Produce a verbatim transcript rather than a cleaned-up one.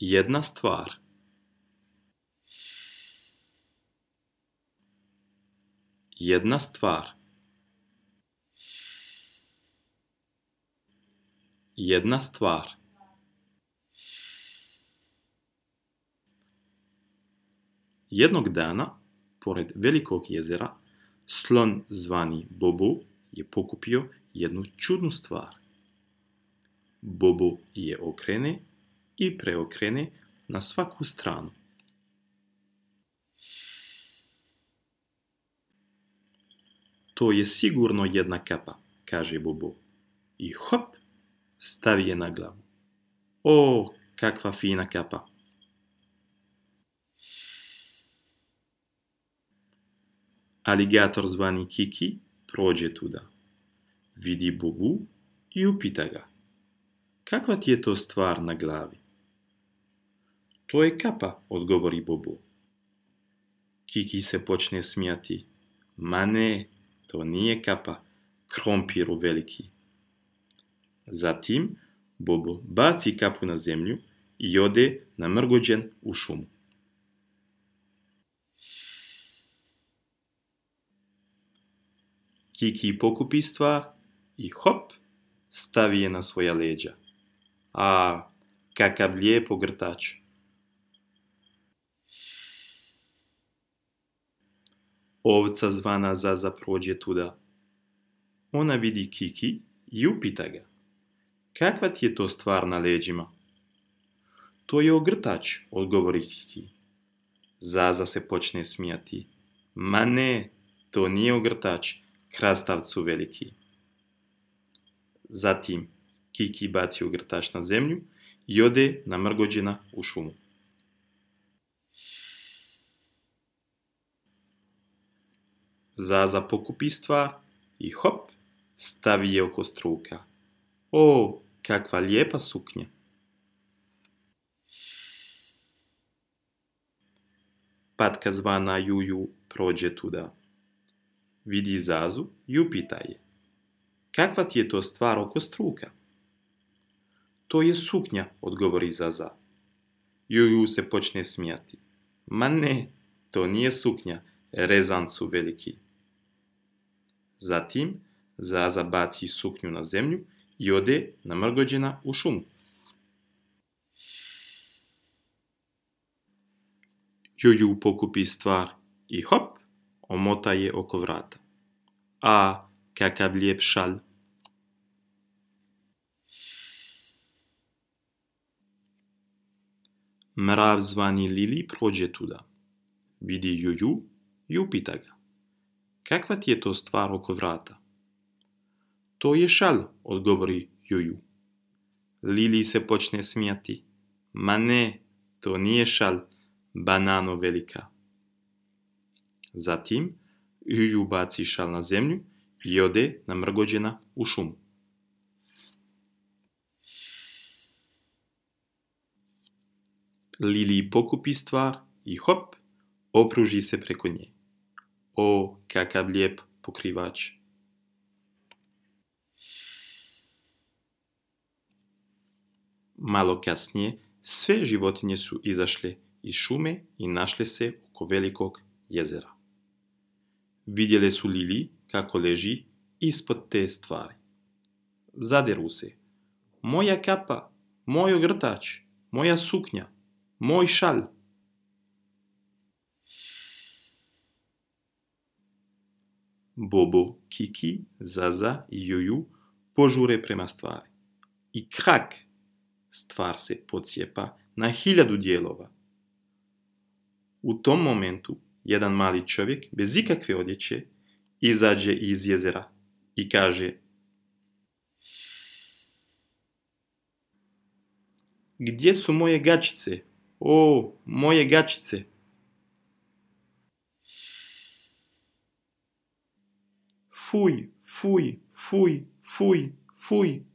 Jedna stvar. Jedna stvar. Jedna stvar. Jednog dana, pored velikog jezera, slon zvani Bobo je pokupio jednu čudnu stvar. Bobo je okrene i preokrene na svaku stranu. To je sigurno jedna kapa, kaže Bobo. I hop, stavi je na glavu. O, kakva fina kapa! Aligator zvani Kiki prođe tuda. Vidi Bobu i upita ga. Kakva ti je to stvar na glavi? To je kapa, odgovori Bobo. Kiki se počne smijati. Ma ne, to nije kapa, krompiru veliki. Zatim Bobo baci kapu na zemlju i ode namrgođen u šumu. Kiki pokupi stvar i hop, stavi je na svoja leđa. A, kakav lijep ogrtač! Ovca zvana Zaza prođe tuda. Ona vidi Kiki i upita ga. Kakva ti je to stvar na leđima? To je ogrtač, odgovori Kiki. Zaza se počne smijati. Ma ne, to nije ogrtač, krastavcu veliki. Zatim Kiki baci ogrtač na zemlju i ode namrgođena u šumu. Zaza pokupi stvar i hop, stavi je oko struka. O, kakva lijepa suknja! Patka zvana Juju prođe tuda. Vidi Zazu i upita je. Kakva ti je to stvar oko struka? To je suknja, odgovori Zaza. Juju se počne smijati. Ma ne, to nije suknja, rezancu veliki. Zatim Zaza baci suknju na zemlju i ode namrgođena u šumu. Juju pokupi stvar i hop, omota je oko vrata. A, kakav lijep šalj! Mrav zvani Lili prođe tuda. Vidi Juju i upita ga. Kakva ti je to stvar oko vrata? To je šalj, odgovori Juju. Lili se počne smijati. Ma ne, to nije šalj, banano velika. Zatim Juju baci šal na zemlju i ode namrgođena u šumu. Lili pokupi stvar i hop, opruži se preko nje. O, kakav lijep pokrivač! Malo kasnije sve životinje su izašle iz šume i našle se oko velikog jezera. Vidjele su Lili kako leži ispod te stvari. Zaderu se. Moja kapa, moj ogrtač, moja suknja, moj šalj. Bobo, Kiki, Zaza i Juju požure prema stvari. I krak! Stvar se pocijepa na hiljadu dijelova. U tom momentu jedan mali čovjek bez ikakve odjeće izađe iz jezera i kaže: Gdje su moje gačice? O, moje gačice! Fuj, fuj, fuj, fuj, fuj.